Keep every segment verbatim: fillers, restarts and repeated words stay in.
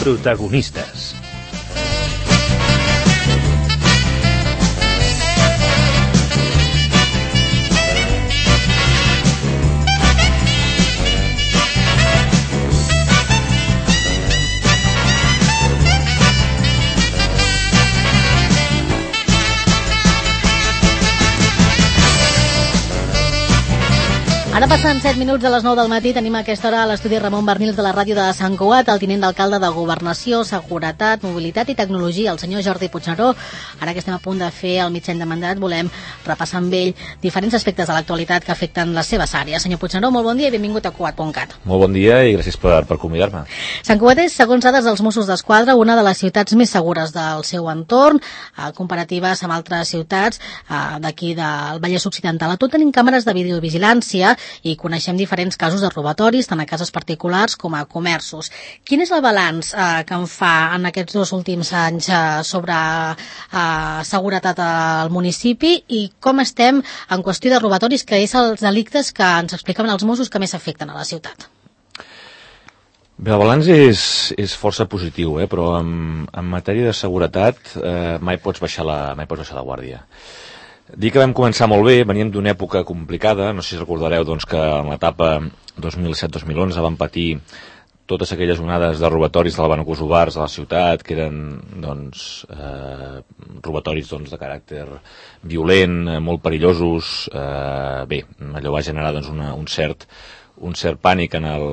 Protagonistes. Ara passen set minuts de les nou del matí, tenim a aquesta hora a l'estudi Ramon Bernils de la ràdio de Sant Cugat, el tinent d'alcalde de Governació, Seguretat, Mobilitat i Tecnologia, el senyor Jordi Puigneró. Ara que estem a punt de fer el mig any de mandat, volem repassar amb ell diferents aspectes de l'actualitat que afecten les seves àrees. Senyor Puigneró, molt bon dia i benvingut a Cugat punt cat. Molt bon dia i gràcies per, per convidar-me. Sant Cugat és, segons dades dels Mossos d'Esquadra, una de les ciutats més segures del seu entorn, eh, comparatives amb altres ciutats eh, d'aquí del Vallès Occidental. A tot tenim càmeres de videovigilància i coneixem diferents casos de robatoris, tant a cases particulars com a comerços. Quin és el balanç eh, que en fa en aquests dos últims anys eh, sobre eh, seguretat al municipi i com estem en qüestió de robatoris, que és els delictes que ens explicaven els Mossos que més afecten a la ciutat? Bé, el balanç és, és força positiu, eh? Però en, en matèria de seguretat eh, mai pots baixar la, mai pots baixar la guàrdia. Dir que vam començar molt bé, veníem d'una època complicada, no sé si recordareu doncs, que en l'etapa dos mil set dos mil onze van patir totes aquelles onades de robatoris de l'Havana-Kosovars a la ciutat, que eren doncs, eh, robatoris doncs, de caràcter violent, eh, molt perillosos. Eh, bé, allò va generar doncs, una, un cert un cert pànic en, el,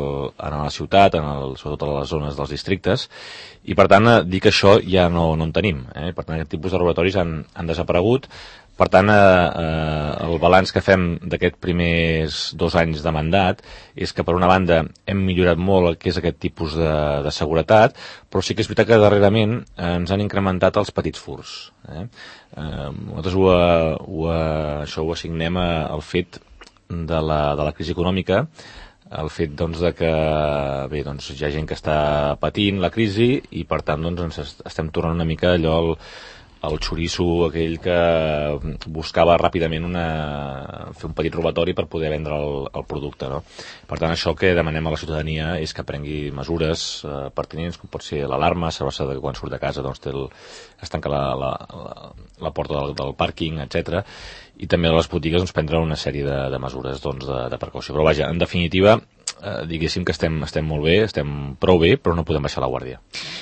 en la ciutat, en el, sobretot a les zones dels districtes, i per tant dir que això ja no, no en tenim. Eh? Per tant, aquest tipus de robatoris han, han desaparegut. Per tant, eh, el balanç que fem d'aquests primers dos anys de mandat és que, per una banda, hem millorat molt el que és aquest tipus de, de seguretat, però sí que és veritat que darrerament eh, ens han incrementat els petits furts. Eh? Eh, nosaltres ho, ho, això ho assignem al fet de la, de la crisi econòmica, el fet doncs, de que bé, doncs, hi ha gent que està patint la crisi i per tant doncs, ens estem tornant una mica allò el, el xoriço aquell que buscava ràpidament una, fer un petit robatori per poder vendre el, el producte, no? Per tant, això que demanem a la ciutadania és que prengui mesures eh, pertinents, com pot ser l'alarma, assegurar-se que quan surt de casa doncs, té el, es tanca la, la, la, la porta del, del pàrquing, etcètera. I també a les botigues doncs, prendre una sèrie de, de mesures doncs, de, de precaució. Però vaja, en definitiva, eh, diguéssim que estem, estem molt bé, estem prou bé, però no podem baixar la guàrdia.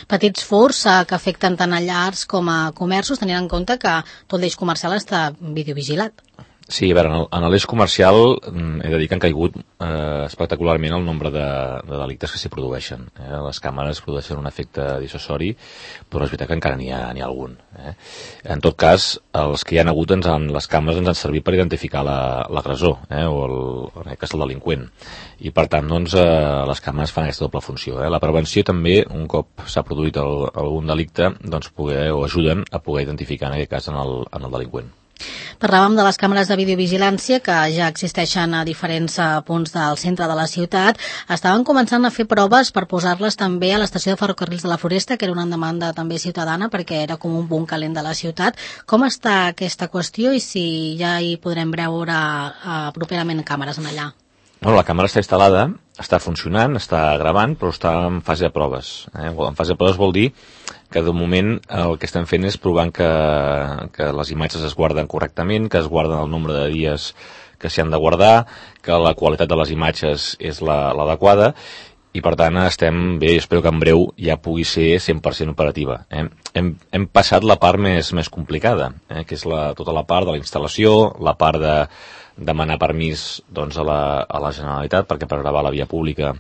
Petits furts eh, que afecten tant a llars com a comerços, tenint en compte que tot l'eix comercial està videovigilat. Sí, a veure, en l'eix comercial he de dir que han caigut eh, espectacularment el nombre de, de delictes que s'hi produeixen. Eh? Les càmeres produeixen un efecte dissuasori, però és veritat que encara n'hi ha, n'hi ha algun. Eh? En tot cas, els que hi ha hagut, ens han, les càmeres ens han servit per identificar l'agressor, la, eh? o el, en aquest cas el delinqüent. I per tant, doncs, eh, les càmeres fan aquesta doble funció. Eh? La prevenció també, un cop s'ha produït el, algun delicte, doncs poder, o ajuden a poder identificar en aquest cas en el, en el delinqüent. Parlàvem de les càmeres de videovigilància que ja existeixen a diferents punts del centre de la ciutat. Estaven començant a fer proves per posar-les també a l'estació de ferrocarrils de la Floresta, que era una demanda també ciutadana perquè era com un punt calent de la ciutat. Com està aquesta qüestió i si ja hi podrem veure uh, properament càmeres en allà? Bueno, la càmera està instal·lada, està funcionant, està gravant, però està en fase de proves. Eh? En fase de proves vol dir que de moment el que estem fent és provant que, que les imatges es guarden correctament, que es guarden el nombre de dies que s'hi han de guardar, que la qualitat de les imatges és l'adequada, i per tant estem bé, espero que en breu ja pugui ser cent per cent operativa. Eh? Hem, hem passat la part més, més complicada, eh? que és la, tota la part de la instal·lació, la part de demanar permís doncs, a, la, a la Generalitat, perquè per gravar la via pública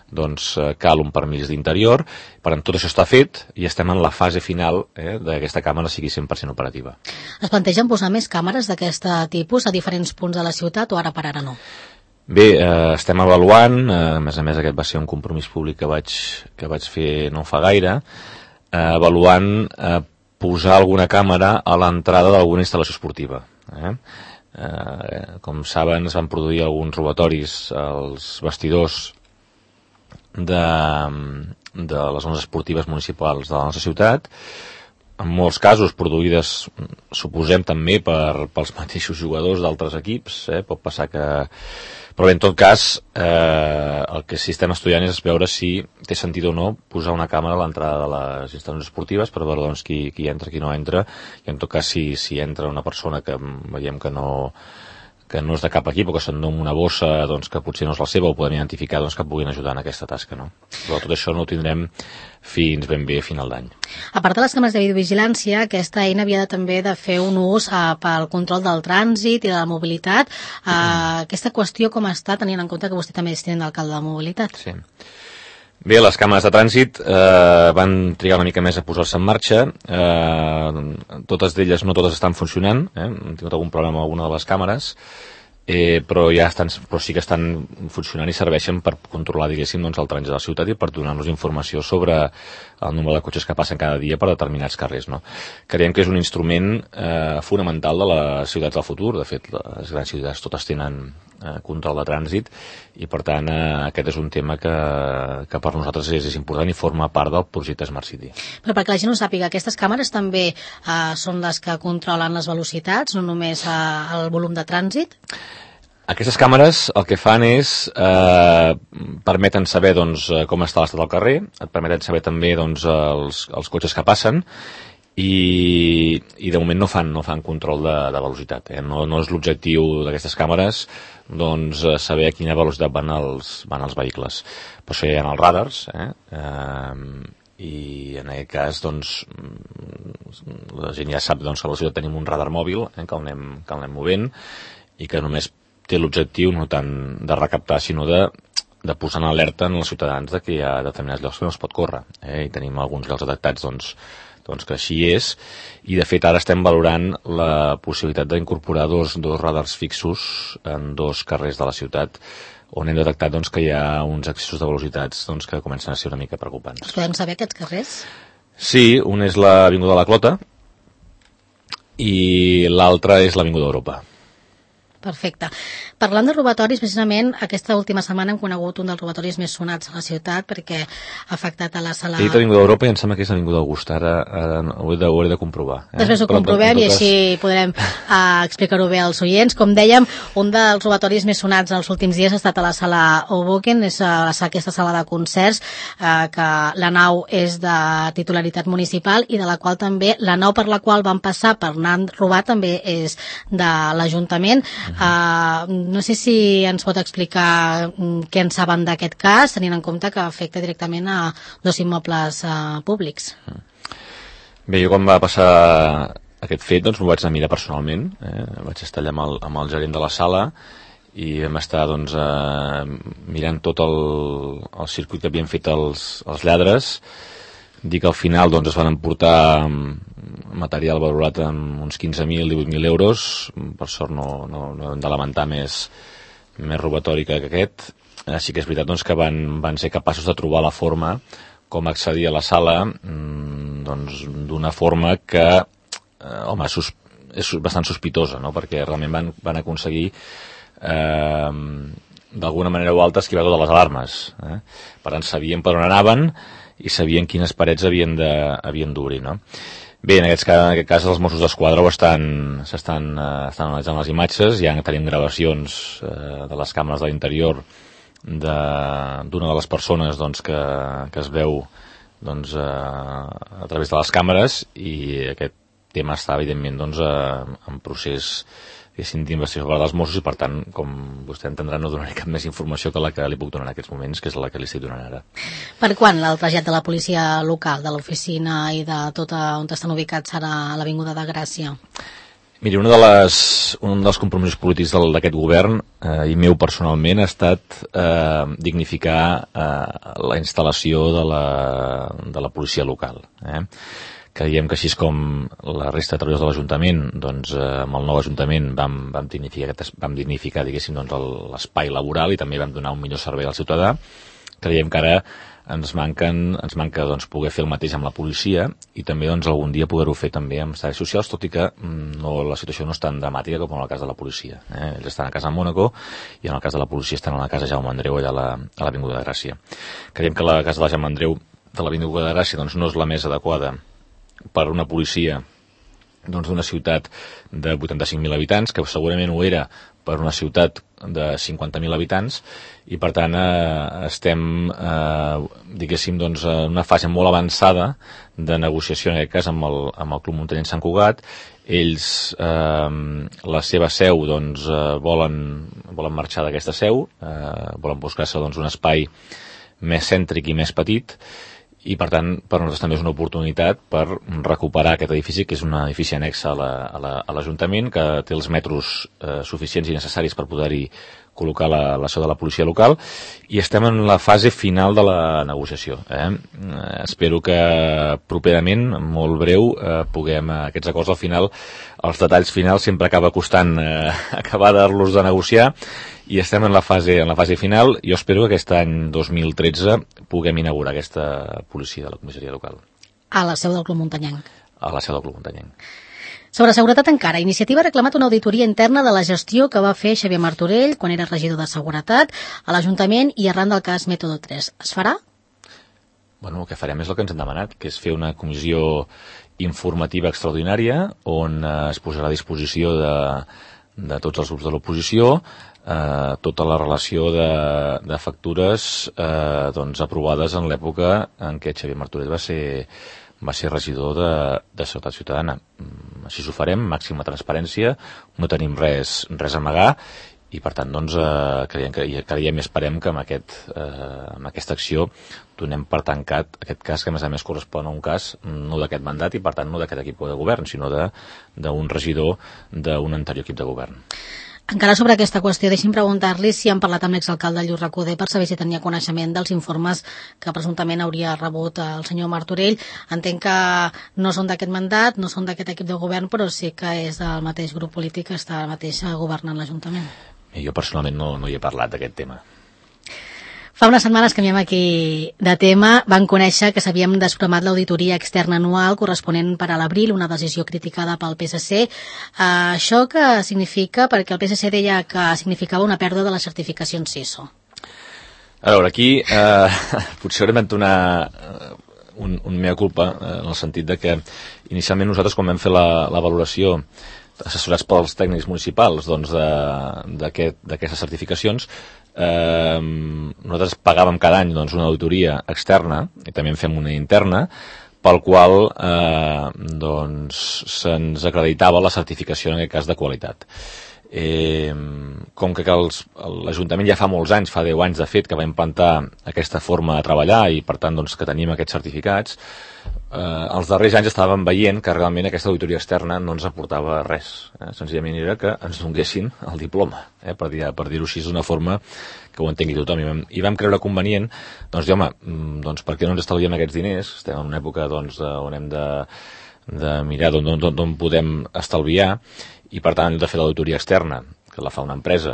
doncs, cal un permís d'interior. Per tant, tot això està fet i estem en la fase final eh, d'aquesta càmera sigui cent per cent operativa. Es plantegen posar més càmeres d'aquest tipus a diferents punts de la ciutat o ara per ara no? Bé, eh, estem avaluant, eh, a més a més aquest va ser un compromís públic que vaig, que vaig fer no fa gaire, eh, avaluant eh, posar alguna càmera a l'entrada d'alguna instal·lació esportiva. Eh? Eh, com saben, es van produir alguns robatoris als vestidors de, de les zones esportives municipals de la nostra ciutat, en molts casos produïdes, suposem també per, pels mateixos jugadors d'altres equips, eh? Pot passar que... Però bé, en tot cas, eh, el que sí estem estudiant és veure si té sentit o no posar una càmera a l'entrada de les instal·lacions esportives per veure doncs, qui, qui entra, qui no entra, i en tot cas si, si entra una persona que veiem que no... que no és de cap equip o que s'endú una bossa doncs, que potser no és la seva o podem identificar doncs, que puguin ajudar en aquesta tasca. No? Però tot això no ho tindrem fins ben bé a final d'any. A part de les càmeres de videovigilància, aquesta eina havia de, també de fer un ús eh, pel control del trànsit i de la mobilitat. Eh, mm. Aquesta qüestió com està, tenint en compte que vostè també és tinent d'alcalde de mobilitat? Sí. Bé, les càmeres de trànsit eh, van trigar una mica més a posar-se en marxa. Eh, totes d'elles, no totes estan funcionant. Eh? Hem tingut algun problema amb alguna de les càmeres, eh, però ja estan, però sí que estan funcionant i serveixen per controlar, diguéssim, doncs, el trànsit de la ciutat i per donar-nos informació sobre el nombre de cotxes que passen cada dia per determinats carrers. No? Creiem que és un instrument eh, fonamental de les ciutats del futur. De fet, les grans ciutats totes tenen eh, control de trànsit i, per tant, eh, aquest és un tema que, que per nosaltres és, és important i forma part del projecte Smart City. Però perquè la gent ho sàpiga, aquestes càmeres també eh, són les que controlen les velocitats, no només eh, el volum de trànsit? Aquestes càmeres el que fan és eh, permeten saber doncs, com està l'estat del carrer, et permeten saber també doncs, els, els cotxes que passen i, i de moment no fan, no fan control de, de velocitat. Eh? No, no és l'objectiu d'aquestes càmeres doncs, saber a quina velocitat van els, van els vehicles. Per això hi ha els radars, eh? Eh, i en aquest cas doncs, la gent ja sap doncs, que a la ciutat tenim un radar mòbil eh, que el anem, que el anem movent i que només té l'objectiu no tant de recaptar, sinó de, de posar en alerta en els ciutadans de que hi ha determinats llocs que no es pot córrer. Eh? I tenim alguns llocs detectats doncs, doncs que així és. I, de fet, ara estem valorant la possibilitat d'incorporar dos, dos radars fixos en dos carrers de la ciutat on hem detectat doncs, que hi ha uns excessos de velocitats doncs, que comencen a ser una mica preocupants. Els podem saber, aquests carrers? Sí, un és l'Avinguda de la Clota i l'altre és l'Avinguda d'Europa. Perfecte. Parlant de robatoris, precisament aquesta última setmana hem conegut un dels robatoris més sonats a la ciutat perquè ha afectat a la sala... He dit Avinguda d'Europa i em sembla que és Avinguda Augusta, ara, ara ho, he de, ho he de comprovar. Eh? Després ho Però, comprovem i així podrem uh, explicar-ho bé als oients. Com dèiem, un dels robatoris més sonats els últims dies ha estat a la sala Hoboken, és uh, aquesta sala de concerts, uh, que la nau és de titularitat municipal i de la qual també, la nau per la qual van passar per anar robar també és de l'Ajuntament. Uh, no sé si ens pot explicar què en saben d'aquest cas, tenint en compte que afecta directament a dos immobles uh, públics. Bé, jo quan va passar aquest fet doncs m'ho vaig anar a mirar personalment, eh? Vaig estar allà amb el, amb el gerent de la sala i vam estar doncs, eh, mirant tot el, el circuit que havien fet els, els lladres. Dir que al final doncs, es van emportar material valorat en uns quinze mil, divuit mil euros. Per sort no, no, no hem de lamentar més, més robatori que aquest. Així que és veritat doncs, que van, van ser capaços de trobar la forma com accedir a la sala doncs, d'una forma que eh, home, sus, és bastant sospitosa, no? Perquè realment van, van aconseguir eh, d'alguna manera o altra esquivar totes les alarmes. Eh? Per tant, sabien per on anaven i sabien quines parets havien de, havien d'obrir, no? Bé, en aquest, cas, en aquest cas els Mossos d'Esquadra estan, estan, eh, estan analitzant les imatges, ja tenim gravacions eh, de les càmeres de l'interior d'una de, de les persones doncs, que, que es veu doncs, eh, a través de les càmeres i aquest tema està evidentment doncs, eh, en procés d'investigació per dels Mossos i per tant, com vostè entendrà, no donaré cap més informació que la que li puc donar en aquests moments, que és la que li estic donant ara. Per quan el trasllat de la policia local, de l'oficina i de tot on estan ubicats ara a l'Avinguda de Gràcia? Miri, una de les, un dels compromisos polítics d'aquest govern eh, i meu personalment ha estat eh, dignificar eh, la instal·lació de la, de la policia local. Eh? Creiem que així com la resta de treballadors de l'Ajuntament, doncs eh, amb el nou Ajuntament vam, vam dignificar, vam dignificar diguéssim, doncs, l'espai laboral i també vam donar un millor servei al ciutadà. Creiem que ara ens, manquen, ens manca doncs, poder fer el mateix amb la policia i també doncs, algun dia poder-ho fer també amb serveis socials, tot i que no, la situació no és tan dramàtica com en el cas de la policia. Eh? Ells estan a casa a Mònaco i en el cas de la policia estan a la casa Jaume Andreu allà a l'Avinguda de Gràcia. Creiem que la casa de la Jaume Andreu de l'Avinguda de Gràcia doncs, no és la més adequada per una policia doncs, d'una ciutat de vuitanta-cinc mil habitants, que segurament ho era per una ciutat de cinquanta mil habitants, i per tant eh, estem eh, diguéssim doncs, en una fase molt avançada de negociació, en aquest cas amb el, amb el Club Muntanyenc Sant Cugat. Ells eh, la seva seu doncs, eh, volen, volen marxar d'aquesta seu, eh, volen buscar-se doncs, un espai més cèntric i més petit, i per tant per nosaltres també és una oportunitat per recuperar aquest edifici, que és un edifici annex a l'Ajuntament, que té els metres eh, suficients i necessaris per poder-hi col·locar la, la seu de la policia local, i estem en la fase final de la negociació. Eh? Eh, espero que properament, molt breu, eh, puguem, eh, aquests acords al final, els detalls finals sempre acaba costant eh, acabar de-los de negociar, i estem en la fase en la fase final. Jo espero que aquest any dos mil tretze puguem inaugurar aquesta policia de la comissaria local. A la seu del Club Muntanyenc. A la seu del Club Muntanyenc. Sobre seguretat encara, Iniciativa ha reclamat una auditoria interna de la gestió que va fer Xavier Martorell quan era regidor de Seguretat a l'Ajuntament i arran del cas Mètode tres. Es farà? Bueno, el que farem és el que ens han demanat, que és fer una comissió informativa extraordinària on eh, es posarà a disposició de, de tots els grups de l'oposició eh, tota la relació de, de factures eh, doncs, aprovades en l'època en què Xavier Martorell va ser va ser regidor de, de Seguretat Ciutadana. Així ho farem, màxima transparència, no tenim res, res a amagar, i per tant doncs, eh, creiem, creiem i esperem que amb, aquest, eh, amb aquesta acció donem per tancat aquest cas, que a més a més correspon a un cas no d'aquest mandat i per tant no d'aquest equip de govern, sinó d'un regidor d'un anterior equip de govern. Encara sobre aquesta qüestió, deixi'm preguntar-li si han parlat amb l'exalcalde Lluís Recoder per saber si tenia coneixement dels informes que presumptament hauria rebut el senyor Martorell. Entenc que no són d'aquest mandat, no són d'aquest equip de govern, però sí que és del mateix grup polític que està mateix governant l'Ajuntament. Jo personalment no, no hi he parlat d'aquest tema. Fa unes setmanes canviem aquí de tema. Van conèixer que s'havíem desprogramat l'auditoria externa anual corresponent per a l'abril, una decisió criticada pel P S C. Uh, això què significa? Perquè el P S C deia que significava una pèrdua de les certificacions C I S O. A veure, aquí eh, potser haurem d'entonar un, un mea culpa, eh, en el sentit de que inicialment nosaltres, quan vam fer la, la valoració assessorats pels tècnics municipals doncs, d'aquestes aquest, certificacions, eh, nosaltres pagàvem cada any doncs, una auditoria externa i també en fem una interna, pel qual eh, doncs, se'ns acreditava la certificació, en aquest cas, de qualitat. Eh, com que l'Ajuntament ja fa molts anys, fa deu anys de fet, que va implantar aquesta forma de treballar i per tant doncs, que tenim aquests certificats, eh, els darrers anys estàvem veient que realment aquesta auditoria externa no ens aportava res, eh? Senzillament era que ens donguessin el diploma, eh? per dir-ho per dir així d'una forma que ho entengui tothom, i vam, i vam creure convenient doncs dir, home, doncs per què no ens estalviem aquests diners? Estem en una època doncs, on hem de, de mirar d'on podem estalviar, i per tant de fer l'auditoria externa, que la fa una empresa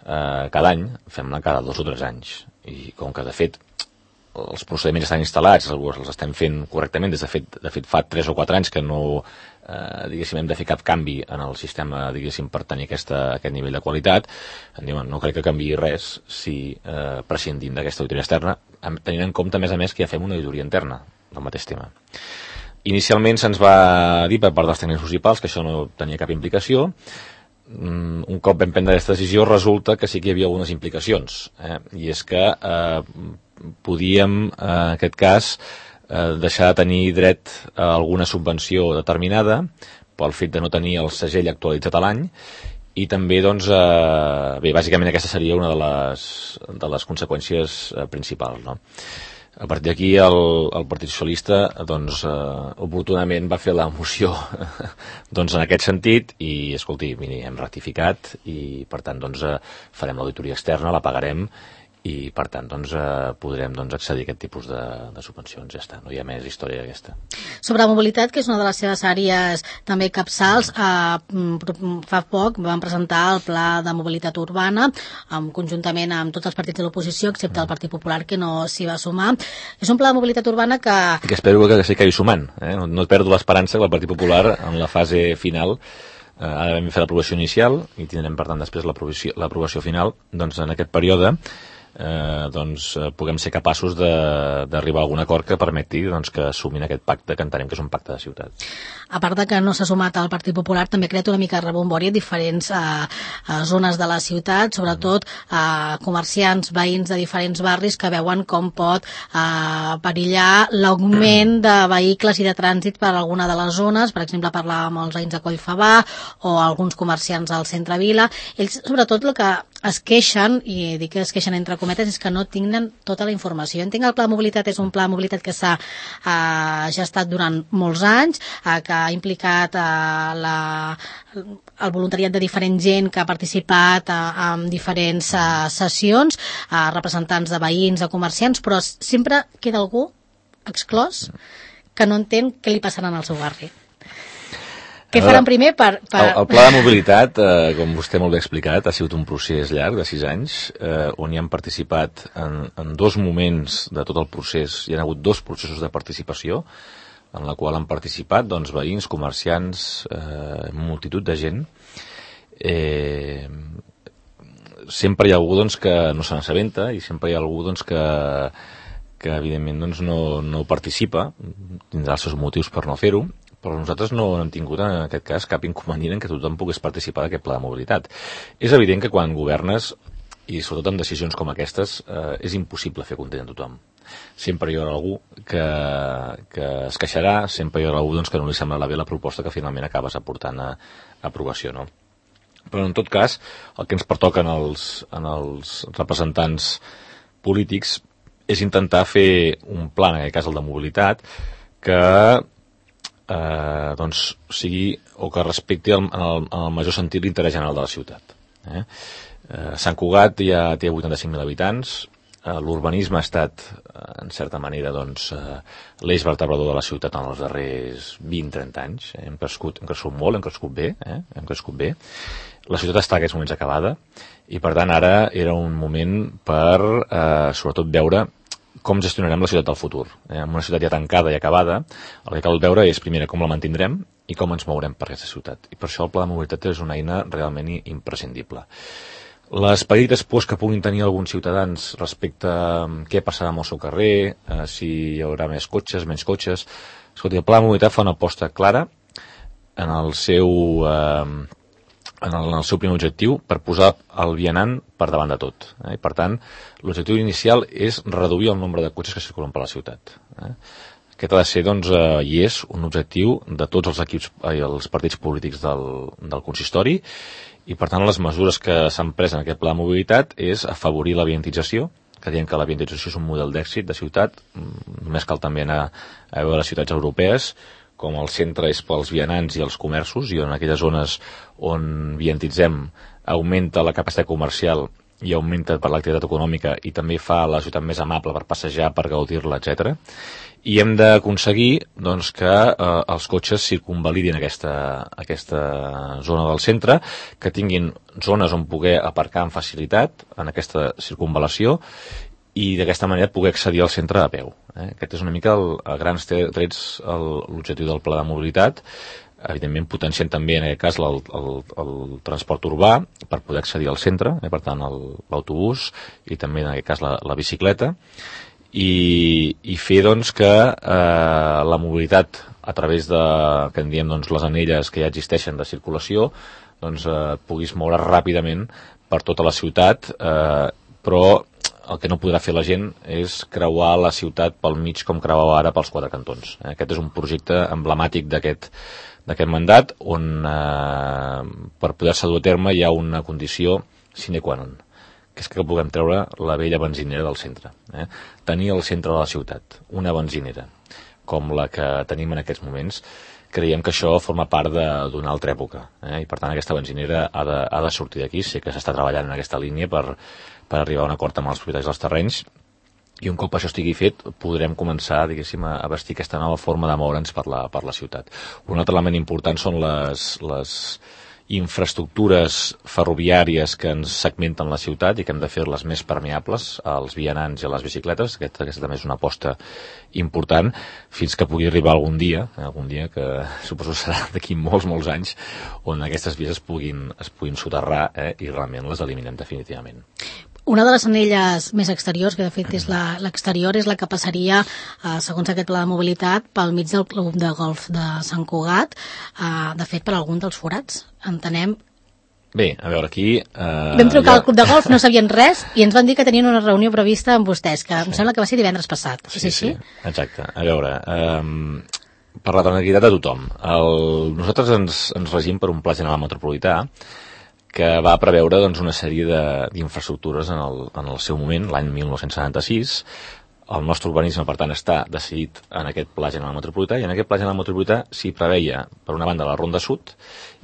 eh, cada any, fem-la cada dos o tres anys, i com que de fet els procediments estan instal·lats, els estem fent correctament, des de fet, de fet fa tres o quatre anys que no eh, diguéssim, hem de fer cap canvi en el sistema, diguéssim, per tenir aquesta, aquest nivell de qualitat, diuen, no crec que canviï res si eh, prescindim d'aquesta auditoria externa, tenint en compte, a més a més, que ja fem una auditoria interna del mateix tema. Inicialment se'ns va dir per part dels tècnics municipals que això no tenia cap implicació. Un cop vam prendre aquesta decisió resulta que sí que hi havia algunes implicacions, eh? I és que eh, podíem, eh, en aquest cas, eh, deixar de tenir dret a alguna subvenció determinada pel fet de no tenir el segell actualitzat a l'any, i també, doncs, eh, bé, bàsicament aquesta seria una de les, de les conseqüències eh, principals, no? A partir d'aquí el, el Partit Socialista doncs, eh, oportunament va fer la moció doncs, en aquest sentit i, escolti, miri, hem rectificat i per tant doncs, eh, farem l'auditoria externa, la pagarem i per tant doncs, eh, podrem doncs, accedir a aquest tipus de, de subvencions. Ja està, no hi ha més història aquesta. Sobre mobilitat, que és una de les seves àrees també capçals, eh, fa poc van presentar el pla de mobilitat urbana amb, conjuntament amb tots els partits de l'oposició, excepte el Partit Popular, que no s'hi va sumar. És un pla de mobilitat urbana que... que espero que s'hi acabi sumant. Eh? No, no et perdo l'esperança que el Partit Popular en la fase final eh, ara vam fer l'aprovació inicial i tindrem per tant després l'aprovació final, doncs en aquest període eh, doncs, puguem ser capaços d'arribar a algun acord que permeti doncs, que assumin aquest pacte, que entenem que és un pacte de ciutat. A part de que no s'ha sumat al Partit Popular, també ha creat una mica de rebombori a diferents eh, zones de la ciutat, sobretot eh, comerciants, veïns de diferents barris que veuen com pot eh, perillar l'augment de vehicles i de trànsit per alguna de les zones. Per exemple, parlàvem amb els veïns de Collfabà o alguns comerciants al centre Vila. Ells, sobretot, el que es queixen, i dic que es queixen entre cometes, és que no tinguen tota la informació. Entenc que el pla de mobilitat és un pla de mobilitat que s'ha eh, gestat durant molts anys, eh, que ha implicat eh, la, el voluntariat de diferent gent que ha participat eh, en diferents eh, sessions, eh, representants de veïns, de comerciants, però sempre queda algú exclòs que no entén què li passarà al seu barri. Què faran primer per... per... El, el pla de mobilitat, eh, com vostè molt bé ha explicat, ha sigut un procés llarg de sis anys, eh, on hi han participat en, en dos moments de tot el procés, hi ha hagut dos processos de participació, en la qual han participat doncs, veïns, comerciants, eh, multitud de gent. Eh, sempre hi ha algú doncs, que no se n'assabenta i sempre hi ha algú doncs, que, que evidentment doncs, no, no participa, tindrà els seus motius per no fer-ho, però nosaltres no hem tingut en aquest cas cap inconvenient en que tothom pogués participar d'aquest pla de mobilitat. És evident que quan governes, i sobretot amb decisions com aquestes, eh, és impossible fer content a tothom. Sempre hi haurà algú que, que es queixarà, sempre hi haurà algú doncs, que no li semblarà bé la proposta que finalment acabes aportant a, a aprovació, no? Però en tot cas, el que ens pertoca en els, en els representants polítics és intentar fer un pla, en aquest cas el de mobilitat, que Eh, doncs sigui o que respecti el, en, el, en el major sentit l'interès general de la ciutat. Eh? Eh, Sant Cugat ja té vuitanta-cinc mil habitants, eh, l'urbanisme ha estat eh, en certa manera doncs, eh, l'eix vertebrador de la ciutat en els darrers vint a trenta anys. Eh? Hem, crescut, hem crescut molt, hem crescut bé, eh? hem crescut bé. La ciutat està en aquests moments acabada i per tant ara era un moment per eh, sobretot veure com gestionarem la ciutat del futur. Eh, en una ciutat ja tancada i acabada, el que cal veure és, primera, com la mantindrem i com ens mourem per aquesta ciutat. I per això el pla de mobilitat és una eina realment imprescindible. Les petites pors que puguin tenir alguns ciutadans respecte a què passarà amb el seu carrer, eh, si hi haurà més cotxes, menys cotxes... Escolti, el pla de mobilitat fa una aposta clara en el seu... Eh, en el, en el seu primer objectiu per posar el vianant per davant de tot. Eh? I per tant, l'objectiu inicial és reduir el nombre de cotxes que circulen per la ciutat. Eh? Aquest ha de ser, doncs, eh, i és un objectiu de tots els equips i eh, els partits polítics del, del consistori i per tant les mesures que s'han pres en aquest pla de mobilitat és afavorir la viantització, que diem que la viantització és un model d'èxit de ciutat, només cal també anar a veure les ciutats europees, com el centre és pels vianants i els comerços, i en aquelles zones on viantitzem augmenta la capacitat comercial i augmenta per l'activitat econòmica i també fa la ciutat més amable per passejar, per gaudir-la, etcètera. I hem d'aconseguir doncs, que eh, els cotxes circunvalidin aquesta, aquesta zona del centre, que tinguin zones on poder aparcar amb facilitat en aquesta circunvalació i d'aquesta manera poder accedir al centre a peu. Eh? Aquest és una mica, el, a grans trets, l'objectiu del pla de mobilitat, evidentment potenciant també en aquest cas el, el, el transport urbà per poder accedir al centre, eh? Per tant l'autobús i també en aquest cas la, la bicicleta, i, i fer doncs, que eh, la mobilitat a través de, que en diem doncs, les anelles que ja existeixen de circulació, doncs eh, puguis moure ràpidament per tota la ciutat, eh, però el que no podrà fer la gent és creuar la ciutat pel mig com creuava ara pels quatre cantons. Aquest és un projecte emblemàtic d'aquest d'aquest mandat on eh, per poder-se dur a terme hi ha una condició sine qua non, que és que puguem treure la vella benzinera del centre. Eh? Tenir al centre de la ciutat una benzinera com la que tenim en aquests moments, creiem que això forma part d'una altra època. Eh? I per tant aquesta benzinera ha de, ha de sortir d'aquí. Sé que s'està treballant en aquesta línia per per arribar a un acord amb els propietaris dels terrenys, i un cop això estigui fet podrem començar, diguéssim, a vestir aquesta nova forma de moure'ns per la, per la ciutat. Un altre element important són les, les infraestructures ferroviàries que ens segmenten la ciutat i que hem de fer-les més permeables als vianants i a les bicicletes. Aquesta, aquesta també és una aposta important fins que pugui arribar algun dia, algun dia que suposo serà d'aquí molts, molts anys, on aquestes vies es puguin, es puguin soterrar eh, i realment les eliminem definitivament. Una de les anelles més exteriors, que de fet és l'exterior, és la que passaria, eh, segons aquest pla de mobilitat, pel mig del club de golf de Sant Cugat, eh, de fet per algun dels forats. Entenem. Bé, a veure, aquí... Eh, Vam trucar ja... al club de golf, no sabien res, i ens van dir que tenien una reunió prevista amb vostès, que sí. Em sembla que va ser divendres passat. Sí, és així? Sí, exacte. A veure, eh, per la tranquil·litat de tothom, el, nosaltres ens, ens regim per un pla general metropolità que va preveure doncs, una sèrie d'infraestructures en, el, en el seu moment, l'any mil nou-cents setanta-sis. El nostre urbanisme, per tant, està decidit en aquest pla general metropolità, i en aquest pla general metropolità s'hi preveia, per una banda, la Ronda Sud,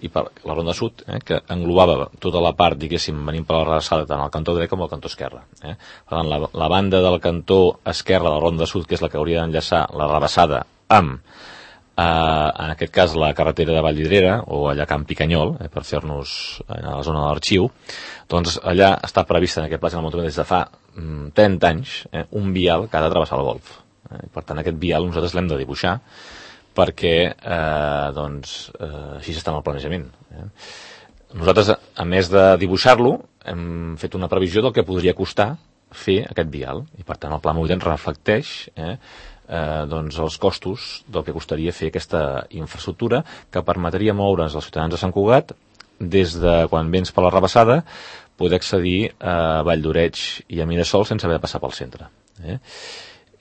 i per la Ronda Sud, eh, que englobava tota la part, diguéssim, venint per la Rabassada, tant al cantó dret com al cantó esquerre. Eh. Per tant, la, la banda del cantó esquerre de la Ronda Sud, que és la que hauria d'enllaçar la Rabassada amb Uh, en aquest cas la carretera de Vallvidrera o allà a Can Picanyol, eh, per fer-nos a la zona de l'Arxiu, doncs allà està prevista en aquest pla general metropolità des de fa mm, trenta anys eh, un vial que ha de travessar el golf. Eh, per tant, aquest vial nosaltres l'hem de dibuixar perquè eh, doncs, eh, així està en el planejament. Eh. Nosaltres, a més de dibuixar-lo, hem fet una previsió del que podria costar fer aquest vial, i per tant el pla mobilitat reflecteix eh, Eh, doncs els costos del que costaria fer aquesta infraestructura que permetria moure's als ciutadans de Sant Cugat des de quan vens per la Rabassada poder accedir a Valldoreix i a Mirasol sense haver de passar pel centre. Eh?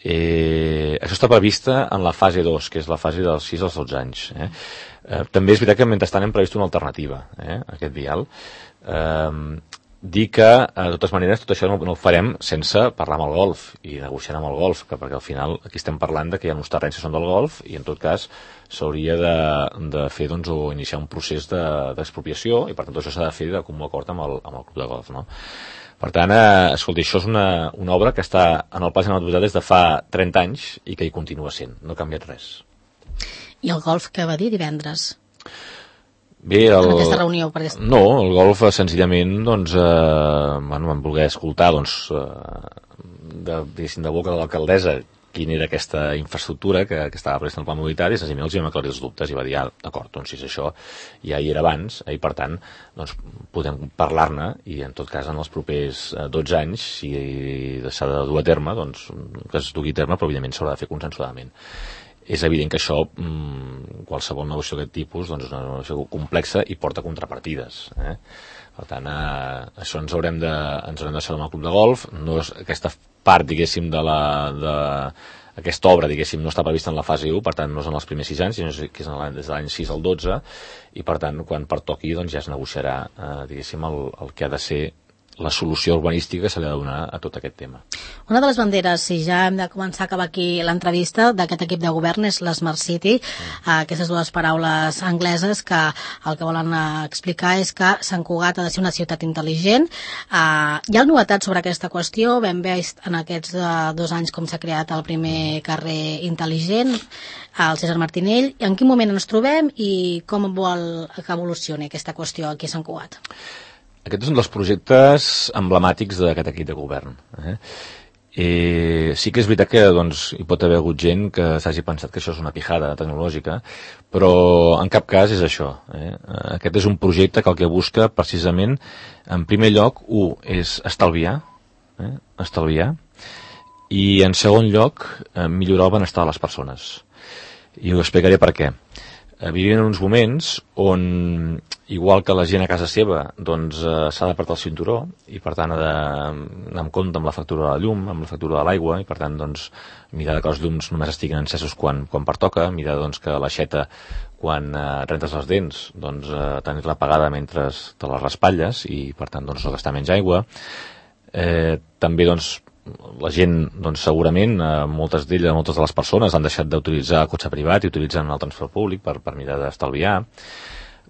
Eh, això està prevista en la fase dos, que és la fase dels sis als dotze anys. Eh? Eh, també és veritat que mentrestant hem previst una alternativa eh, a aquest vial. Eh, dir que, de totes maneres, tot això no, no ho farem sense parlar amb el golf i negociar amb el golf, que perquè al final aquí estem parlant de que hi ha uns terrenys que són del golf i en tot cas s'hauria de, de fer doncs, o iniciar un procés d'expropiació de, i per tant tot això s'ha de fer de comú acord amb el, amb el club de golf, no? Per tant, eh, escolti, això és una, una obra que està en el pla general metropolità des de fa trenta anys i que hi continua sent, no ha canviat res. I el golf, què va dir divendres? Bé, el... en aquesta reunió? Perquè... No, el golf senzillament doncs, eh, bueno, vam voler escoltar doncs, eh, de, de boca de l'alcaldessa quina era aquesta infraestructura que, que estava prevista en el pla mobilitat i senzillament els hi vam aclarir els dubtes i va dir, ah, d'acord, doncs si és això ja hi era abans eh, i per tant doncs, podem parlar-ne i en tot cas en els propers eh, dotze anys si s'ha de dur a terme doncs que es dugui a terme però evidentment s'haurà de fer consensuadament. És evident que això, qualsevol negociació d'aquest tipus, doncs és una negociació complexa i porta contrapartides. Eh? Per tant, eh, això ens haurem de, ens haurem de deixar amb el club de golf. No és, aquesta part, diguéssim, de la... De, aquesta obra, diguéssim, no està prevista en la fase u, per tant, no és en els primers sis anys, sinó que és des de l'any sis al dotze, i per tant, quan pertoqui, doncs ja es negociarà, eh, diguéssim, el, el que ha de ser la solució urbanística que se li ha de donar a tot aquest tema. Una de les banderes, si ja hem de començar a acabar aquí l'entrevista d'aquest equip de govern, és l'Smart City, mm. eh, aquestes dues paraules angleses que el que volen eh, explicar és que Sant Cugat ha de ser una ciutat intel·ligent. Eh, hi ha novetats sobre aquesta qüestió, vam veure en aquests eh, dos anys com s'ha creat el primer carrer intel·ligent, el César Martinell. En quin moment ens trobem i com vol que evolucioni aquesta qüestió aquí a Sant Cugat? Aquest és un dels projectes emblemàtics d'aquest equip de govern. Eh? Eh, sí que és veritat que doncs, hi pot haver hagut gent que s'hagi pensat que això és una pijada tecnològica, però en cap cas és això. Eh? Aquest és un projecte que el que busca precisament, en primer lloc, un, és estalviar, eh? estalviar, i en segon lloc, eh, millorar el benestar de les persones. I ho explicaré per què. Eh, vivim en uns moments on, igual que la gent a casa seva, doncs eh, s'ha d'apartar el cinturó i per tant ha d'anar amb compte amb la factura de la llum, amb la factura de l'aigua i per tant doncs mirar que els llums només estiguin encesos quan, quan pertoca, mirar doncs que l'aixeta quan eh, rentes les dents doncs eh, tenir-la apagada mentre te les raspalles i per tant doncs no gastar menys aigua. Eh, també doncs la gent, doncs, segurament, eh, moltes d'elles, moltes de les persones han deixat d'utilitzar el cotxe privat i utilitzen el transport públic per, per mirar d'estalviar.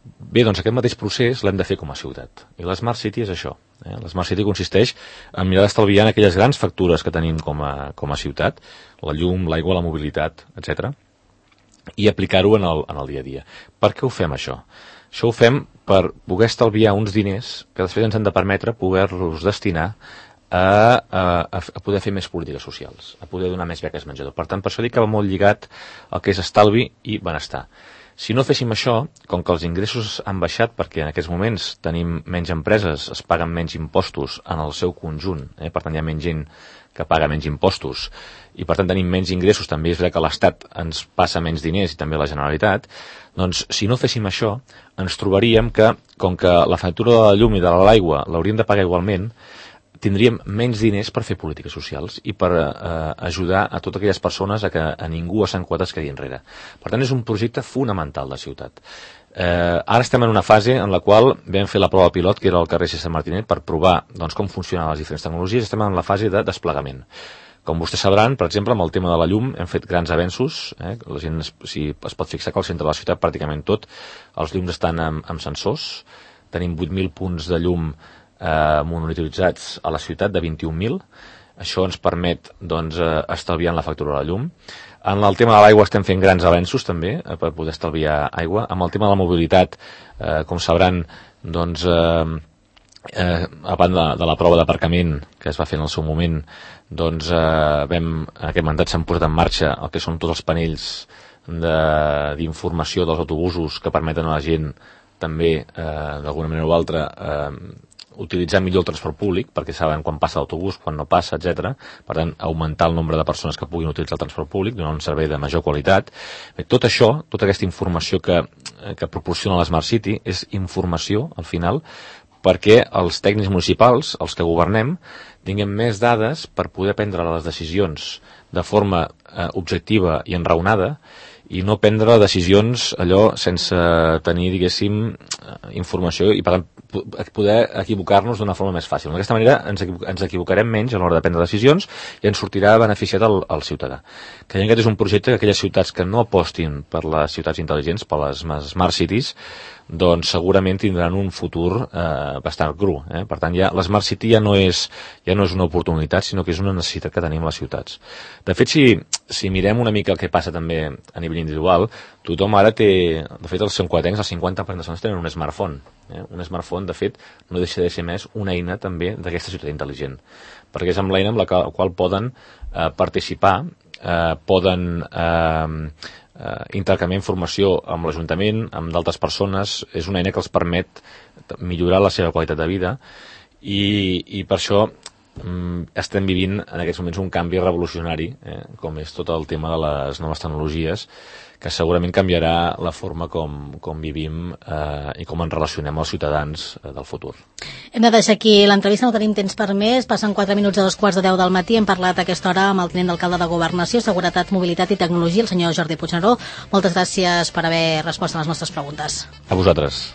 Bé, doncs aquest mateix procés l'hem de fer com a ciutat. I l'Smart City és això. Eh? L'Smart City consisteix en mirar d'estalviar en aquelles grans factures que tenim com a, com a ciutat, la llum, l'aigua, la mobilitat, etcètera, i aplicar-ho en el, en el dia a dia. Per què ho fem, això? Això ho fem per poder estalviar uns diners que després ens han de permetre poder-los destinar A, a, a poder fer més polítiques socials, a poder donar més beques menjador. Per tant, per això dic que va molt lligat al que és estalvi i benestar. Si no féssim això, com que els ingressos han baixat perquè en aquests moments tenim menys empreses, es paguen menys impostos en el seu conjunt, eh? Per tant hi ha menys gent que paga menys impostos i per tant tenim menys ingressos, també és veritat que l'Estat ens passa menys diners i també la Generalitat, doncs si no féssim això ens trobaríem que, com que la factura de la llum i de l'aigua l'hauríem de pagar igualment, tindríem menys diners per fer polítiques socials i per eh, ajudar a totes aquelles persones a que a ningú a Sant Cugat es quedi enrere. Per tant, és un projecte fonamental de ciutat. Eh, ara estem en una fase en la qual vam fer la prova pilot, que era al carrer César Martinet, per provar doncs, com funcionen les diferents tecnologies. Estem en la fase de desplegament. Com vostès sabran, per exemple, amb el tema de la llum hem fet grans avenços. Eh? La gent es, si es pot fixar que al centre de la ciutat pràcticament tot, els llums estan amb, amb sensors. Tenim vuit mil punts de llum eh, monitoritzats a la ciutat, de vint-i-un mil. Això ens permet doncs, eh, estalviar la factura de la llum. En el tema de l'aigua estem fent grans avenços també eh, per poder estalviar aigua. Amb el tema de la mobilitat, eh, com sabran, doncs, eh, eh, a banda de, de la prova d'aparcament que es va fer en el seu moment, doncs eh, vam, en aquest mandat s'han posat en marxa el que són tots els panells d'informació de, dels autobusos que permeten a la gent també, eh, d'alguna manera o altra, eh, utilitzar millor el transport públic, perquè saben quan passa l'autobús, quan no passa, etcètera. Per tant, augmentar el nombre de persones que puguin utilitzar el transport públic, donar un servei de major qualitat. Bé, tot això, tota aquesta informació que, que proporciona l'Smart City, és informació, al final, perquè els tècnics municipals, els que governem, tinguem més dades per poder prendre les decisions de forma eh, objectiva i enraonada, i no prendre decisions allò sense tenir, diguéssim, informació i per tant poder equivocar-nos d'una forma més fàcil. D'aquesta manera ens, ens equivocarem menys a l'hora de prendre decisions i ens sortirà beneficiat al, al ciutadà. Creiem que aquest és un projecte que aquelles ciutats que no apostin per les ciutats intel·ligents, per les Smart Cities, doncs segurament tindran un futur eh, bastant cru. Eh? Per tant, ja, l'Smart City ja no, és, ja no és una oportunitat, sinó que és una necessitat que tenim les ciutats. De fet, si, si mirem una mica el que passa també a nivell individual, tothom ara té, de fet els santcuatencs, el cinquanta per cent de persones tenen un smartphone. Eh? Un smartphone, de fet, no deixa de ser més una eina també d'aquesta ciutat intel·ligent, perquè és amb l'eina amb la qual poden eh, participar, eh, poden eh, eh, intercanviar informació amb l'Ajuntament, amb d'altres persones. És una eina que els permet millorar la seva qualitat de vida i, i per això estem vivint en aquests moments un canvi revolucionari, eh, com és tot el tema de les noves tecnologies, que segurament canviarà la forma com, com vivim eh, i com ens relacionem els ciutadans eh, del futur. Hem de deixar aquí l'entrevista, no tenim temps per més. Passen quatre minuts a dos quarts de deu del matí. Hem parlat a aquesta hora amb el tinent d'alcalde de Governació, Seguretat, Mobilitat i Tecnologia, el senyor Jordi Puigneró. Moltes gràcies per haver respost a les nostres preguntes. A vosaltres.